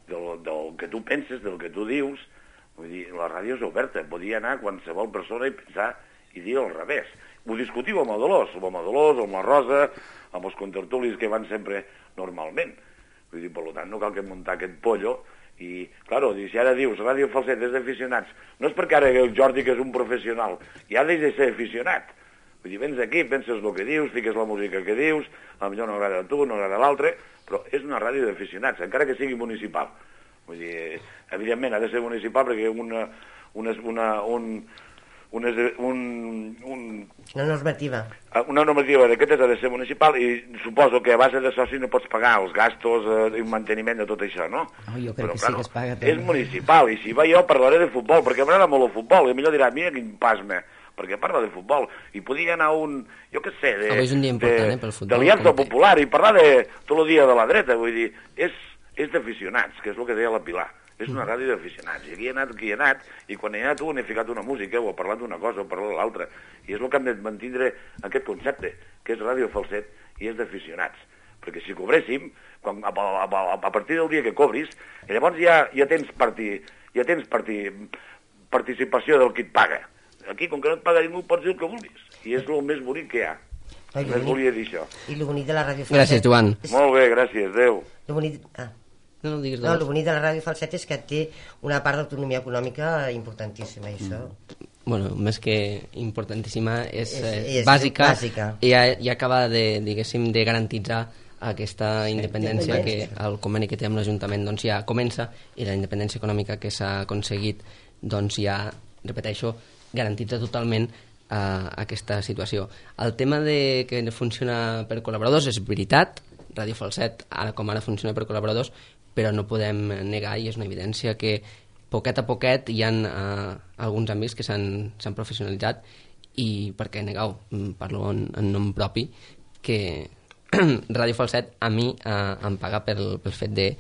Del, del que tu penses, del que tu dius. Vull dir, la ràdio és oberta. Podia anar qualsevol persona i pensar i dir al revés. Ho discutiu amb el Dolors, amb el Dolors, amb la Rosa, amb els contertulis que van sempre normalment. Vull dir, per tant, no cal que muntar aquest pollo I, claro, si ara dius Ràdio Falset és d'aficionats, no és perquè ara el Jordi, que és un professional, ja deix de ser aficionat. Vull dir, vens aquí, penses el que dius, fiques la música que dius, potser no agrada a tu, no agrada a l'altre, però és una ràdio d'aficionats, encara que sigui municipal. Vull dir, evidentment ha de ser municipal perquè una, una, una, un, una, un, un, una normativa. Una normativa d'aquestes ha de ser municipal i suposo que a base de soci no pots pagar els gastos i eh, manteniment de tot això, no? Oh, jo crec però, que claro, sí que es paga també. És municipal i si va jo parlaré de futbol, perquè m'agrada molt el futbol, i millor dirà, mira quin pasme, perquè parla de futbol, i podia anar a un, jo què sé, de, és un dia important, de, eh, pel futbol, de l'Aliança Popular i parlar de tot el dia de la dreta, vull dir, és, és d'aficionats, que és el que deia la Pilar, és una ràdio d'aficionats, i aquí he anat, aquí he anat, i quan he anat un he ficat una música, o he parlat d'una cosa, o he parlat de l'altra, i és el que hem de mantindre aquest concepte, que és Ràdio Falset, i és d'aficionats, perquè si cobréssim, quan, a, a, a, a partir del dia que cobris, llavors ja, ja tens, parti, ja tens parti, participació del qui et paga. Aquí, com que no et paga ningú, pots dir el que vulguis. I és el més bonic que hi ha. Només volia dir això. I el bonic de la Ràdio Falset... Gràcies, Joan. És... Molt bé, gràcies, adéu. El bonic... Ah. No, no, digues, no, el bonic de la Ràdio Falset és que té una part d'autonomia econòmica importantíssima, i això... Bueno, més que importantíssima, és, és, és, és bàsica, bàsica. I, i acaba de, diguéssim, de garantitzar aquesta independència que el conveni que té amb l'Ajuntament doncs ja comença, i la independència econòmica que s'ha aconseguit doncs ja, repeteixo, garantitza totalment eh, aquesta situació. El tema de que funciona per col·laboradors és veritat, Ràdio Falset ara com ara funciona per col·laboradors, però no podem negar, i és una evidència, que poquet a poquet hi ha eh, alguns amics que s'han professionalitzat, i per què negar-ho? Parlo en, en nom propi, que Ràdio Falset a mi eh, em paga pel, pel fet de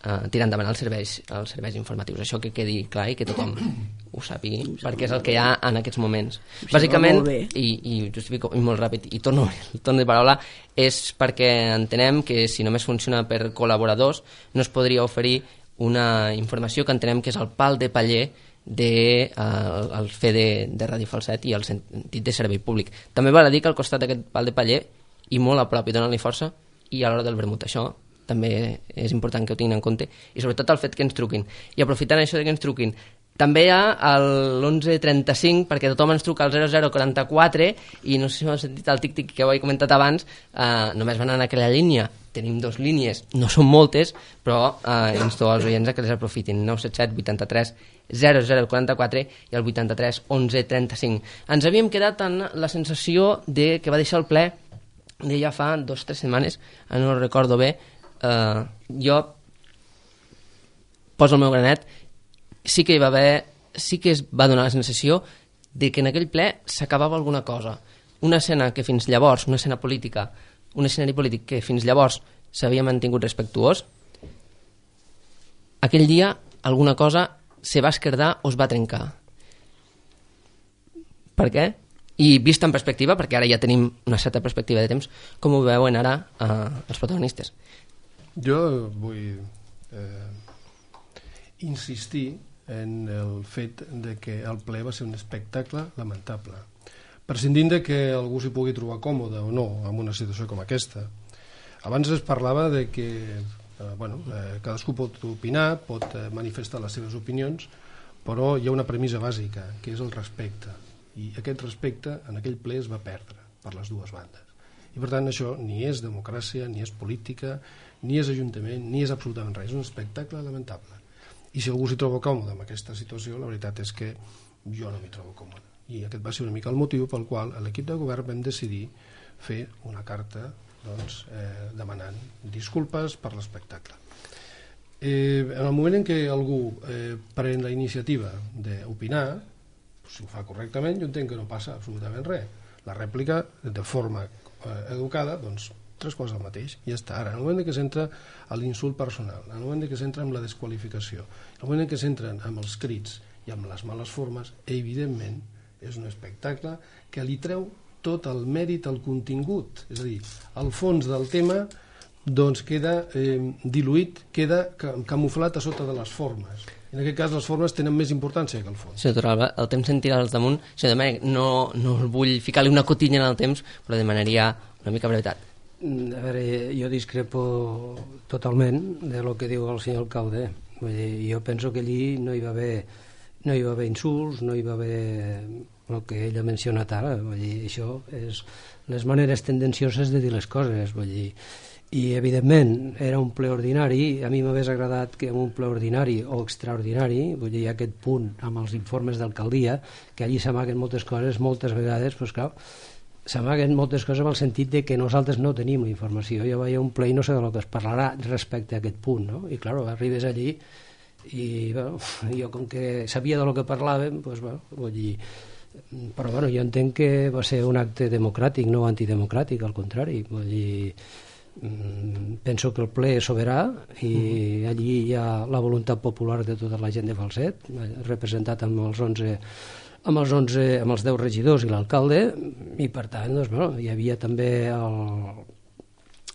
Uh, tirar endavant els serveis, els serveis informatius. Això que quedi clar i que tothom ho sàpigui, perquè és el que hi ha en aquests moments. Bàsicament, i, i justifico i molt ràpid, i torno el torn de paraula, és perquè entenem que si només funciona per col·laboradors no es podria oferir una informació que entenem que és el pal de paller de, uh, el fer de, de Ràdio Falset i el sentit de servei públic. També val a dir que al costat d'aquest pal de paller, i molt a prop i donant-li força, i a l'hora del vermut. Això també és important que ho tinguin en compte, i sobretot el fet que ens truquin. I aprofitant això de que ens truquin, també hi ha l'onze trenta-cinc, perquè tothom ens truca al zero zero quaranta-quatre, i no sé si m'heu sentit el tic-tic que ho he comentat abans, eh, només van anar a aquella línia. Tenim dues línies, no són moltes, però eh, insto als oients a que les aprofitin. nou set set vuitanta-tres zero zero quaranta-quatre i el vuitanta-tres onze trenta-cinc. Ens havíem quedat en la sensació de que va deixar el ple de ja fa dos o tres setmanes, no ho recordo bé. Uh, jo poso el meu granet, sí que hi va haver, sí que es va donar la sensació de que en aquell ple s'acabava alguna cosa, una escena que fins llavors, una escena política, un escenari polític que fins llavors s'havia mantingut respectuós. Aquell dia alguna cosa se va esquerdar o es va trencar. Per què? I vist en perspectiva, perquè ara ja tenim una certa perspectiva de temps, com ho veuen ara uh, els protagonistes? Jo vull eh, insistir en el fet de que el ple va ser un espectacle lamentable, prescindint de que algú s'hi pugui trobar còmode o no en una situació com aquesta. Abans es parlava de que eh, bueno, eh, cadascú pot opinar, pot eh, manifestar les seves opinions, però hi ha una premissa bàsica, que és el respecte, i aquest respecte en aquell ple es va perdre per les dues bandes. I per tant això ni és democràcia, ni és política, ni és ajuntament, ni és absolutament res, és un espectacle lamentable. I si algú s'hi troba còmode amb aquesta situació, la veritat és que jo no m'hi trobo còmode. I aquest va ser una mica el motiu pel qual a l'equip de govern vam decidir fer una carta doncs, eh, demanant disculpes per l'espectacle. Eh, en el moment en què algú eh, pren la iniciativa d'opinar, si ho fa correctament, jo entenc que no passa absolutament res. La rèplica, de forma eh, educada, doncs tres coses al mateix, i ja està. Ara, en el moment que s'entra a l'insult personal, en el moment que s'entra amb la desqualificació, en el moment que s'entren amb els crits i amb les males formes, evidentment és un espectacle que li treu tot el mèrit al contingut, és a dir, el fons del tema doncs queda eh, diluït, queda camuflat a sota de les formes. En aquest cas les formes tenen més importància que el fons. Senyor Torralba, el temps se'n tira als damunt. Senyor Domènech, no, no vull ficar-li una cotilla en el temps, però demanaria una mica brevetat. A veure, jo discrepo totalment de lo que diu el senyor alcalde. Vull dir, jo penso que allí no hi va haver, no hi va haver insults, no hi va haver el que ell ha mencionat ara. Vull dir, això és les maneres tendencioses de dir les coses. Vull dir, i evidentment era un ple ordinari. A mi m'hagués agradat que en un ple ordinari o extraordinari, vull dir, aquest punt amb els informes d'alcaldia, que allí s'amaguen moltes coses, moltes vegades, doncs clar, s'amaguen moltes coses en el sentit de que nosaltres no tenim la informació. Jo vaig a un ple i no sé del que es parlarà respecte a aquest punt, no? I clar, arribes allí i bueno, jo com que sabia del que parlàvem, doncs, bueno, vull dir, però bueno, jo entenc que va ser un acte democràtic, no antidemocràtic, al contrari. Vull dir, penso que el ple és soberà i allí hi ha la voluntat popular de tota la gent de Falset, representat amb els onze amb els onze, amb els deu regidors i l'alcalde, i per tant, doncs, bueno, hi havia també el,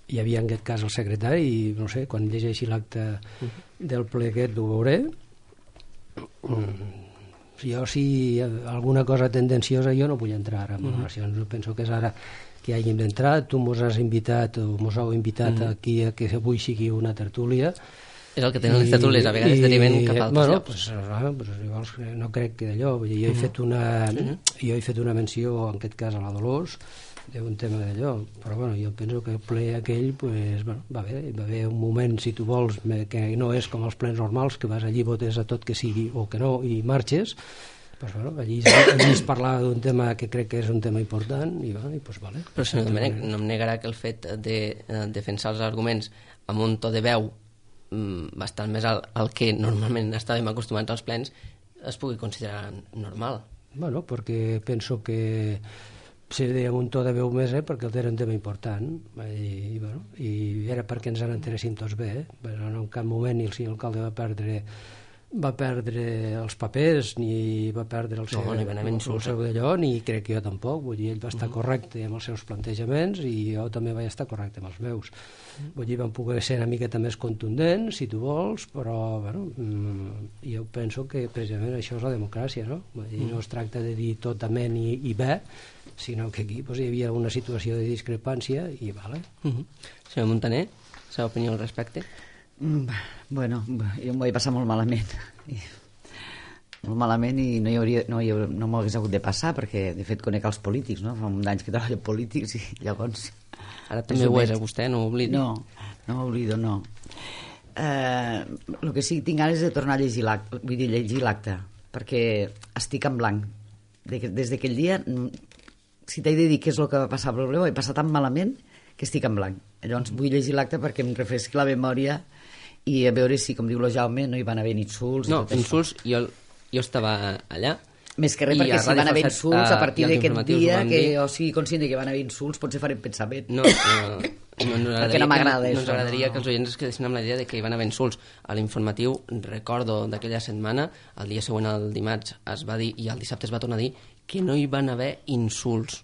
hi havia en aquest cas el secretari, i no sé, quan llegeixi l'acte del ple aquest ho veuré. Jo, si alguna cosa tendenciosa, jo no vull entrar ara en valoracions, no penso que és ara que hàgim d'entrar. Tu mos has invitat o mos heu invitat aquí a que avui sigui una tertúlia. És el que tenen les tertúlies, a vegades deriven cap a altres bueno, llocs. Pues, ah, pues, llavors, no crec que d'allò. Jo he fet una jo he fet una menció, en aquest cas a la Dolors, d'un tema d'allò, però bueno, jo penso que el ple aquell pues, bueno, va bé, va haver un moment, si tu vols, que no és com els plens normals, que vas allí, votes a tot que sigui o que no i marxes. Pues, bueno, allí, allí es parlava d'un tema que crec que és un tema important i, bueno, i pues, vale. Però senyor Domènech, no em negarà que el fet de eh, defensar els arguments amb un to de veu bastant més al, al que normalment estàvem acostumats als plens es pugui considerar normal. Bueno, perquè penso que si dèiem un to de veu més, eh, perquè era un tema important i, i, bueno, i era perquè ens n'enteréssim tots bé, eh? Però en cap moment el senyor alcalde va perdre va perdre els papers ni va perdre el seu, no, no el seu d'allò, ni crec que jo tampoc. Vull dir, ell va estar uh -huh. correcte amb els seus plantejaments i jo també vaig estar correcte amb els meus. Vull dir, van poder ser una miqueta més contundents, si tu vols, però bueno, jo penso que precisament això és la democràcia, no? Vull dir, no es tracta de dir tot amén i, i bé, sinó que aquí doncs, hi havia una situació de discrepància i vale. Uh -huh. Senyor Montaner, la seva opinió al respecte? Bueno, jo m'ho vaig passar molt malament molt malament i no hi hauria, no, hi hauria, no m'ho hagués hagut de passar perquè de fet conec els polítics, no? Fa un anys que treballo polítics i llavors ara també ho és a vostè, no ho oblidi. No, no m'oblido, no. Eh, el que sí, tinc ganes de tornar a llegir l'acte, vull dir, llegir l'acte perquè estic en blanc des d'aquell dia. Si t'he de dir què és el que va passar, però ho vaig passar tan malament que estic en blanc. Llavors vull llegir l'acte perquè em refresqui la memòria i a veure si, com diu el Jaume, no hi van haver insults. No, insults, jo, jo estava allà. Més que res perquè si van haver insults a partir d'aquest dia, que jo sigui conscient que van haver insults, potser farem pensament. No, no, no, no perquè no m'agrada això. No ens agradaria que els oients es quedessin amb la idea de que hi van haver insults. A l'informatiu, recordo d'aquella setmana, el dia següent, el dimarts, es va dir, i el dissabte es va tornar a dir, que no hi van haver insults.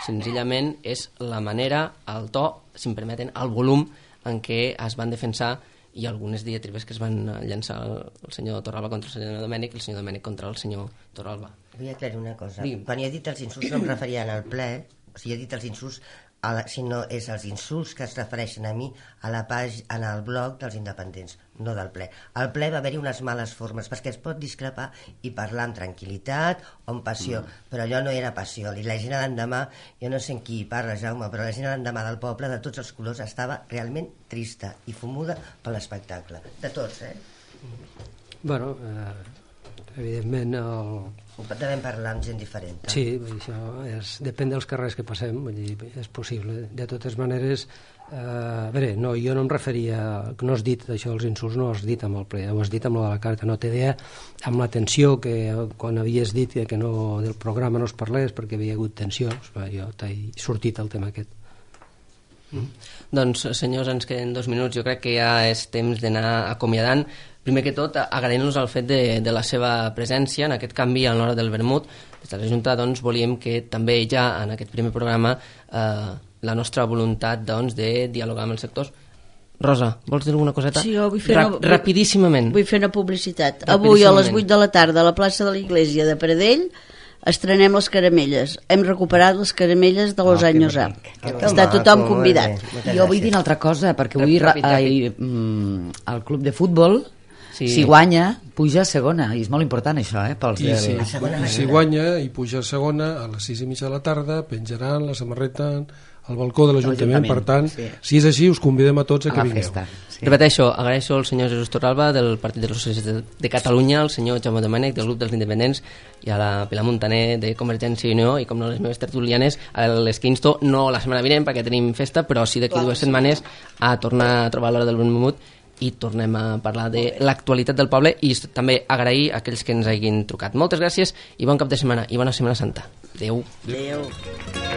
Senzillament és la manera, el to, si em permeten, el volum en què es van defensar i algunes diatribes que es van llançar el senyor Torralba contra el senyor Domènech i el senyor Domènech contra el senyor Torralba. Vull aclarir una cosa. Digue'm. Quan jo he dit els insults no em referia al ple, o sigui, he dit els insults, a la, sinó és els insults que es refereixen a mi a la pàgina, en el blog dels independents, no del ple. Al ple va haver-hi unes males formes, perquè es pot discrepar i parlar amb tranquil·litat o amb passió, mm. però allò no era passió. I la gent a l'endemà, jo no sé en qui parla, Jaume, però la gent a l'endemà del poble, de tots els colors, estava realment trista i fumuda per l'espectacle. De tots, eh? Bueno, eh, evidentment el... Devem parlar amb gent diferent. Eh? Sí, això és, depèn dels carrers que passem, vull dir, és possible. De totes maneres, eh, a veure, no, jo no em referia, no has dit això, els insults no has dit amb el ple, ho has dit amb la de la carta, no té idea amb la tensió que quan havies dit que no, del programa no es parlés perquè havia hagut tensions, jo t'he sortit el tema aquest. Mm. Doncs, senyors, ens queden dos minuts, jo crec que ja és temps d'anar acomiadant. Primer que tot, agraint-nos el fet de, de la seva presència en aquest canvi a l'hora del vermut. Des de la Junta doncs, volíem que també ja en aquest primer programa eh, la nostra voluntat doncs, de dialogar amb els sectors. Rosa, vols dir alguna coseta? Sí, jo vull fer Ra una, rapidíssimament. Vull fer una publicitat. Avui a les vuit de la tarda a la plaça de l'Iglésia de Pradell estrenem les caramelles. Hem recuperat les caramelles de los Oh, anys A. bonic. Està tothom convidat. Jo vull dir una altra cosa, perquè avui ra- Ràpid, ràpid. ai, mm, el club de futbol, Sí. si guanya, puja a segona, i és molt important això, eh, pels I del... si, i si guanya i puja a segona, a les sis i mitja de la tarda penjaran la samarreta al balcó de l'Ajuntament. Per tant, sí. si és així, us convidem a tots a a que la vingueu. festa. Sí. Repeteixo, agraeixo al senyor Jesús Torralba del Partit dels Socialistes de, de Catalunya, al senyor Jaume Domènech del grup dels Independents i a la Pilar Montaner de Convergència i Unió i com no les meves tertulianes a les que insto, no la setmana vinent perquè tenim festa, però sí d'aquí dues setmanes a tornar a trobar l'hora del vermut i tornem a parlar de l'actualitat del poble i també agrair a aquells que ens hagin trucat. Moltes gràcies i bon cap de setmana i bona Setmana Santa. Adéu. Adéu.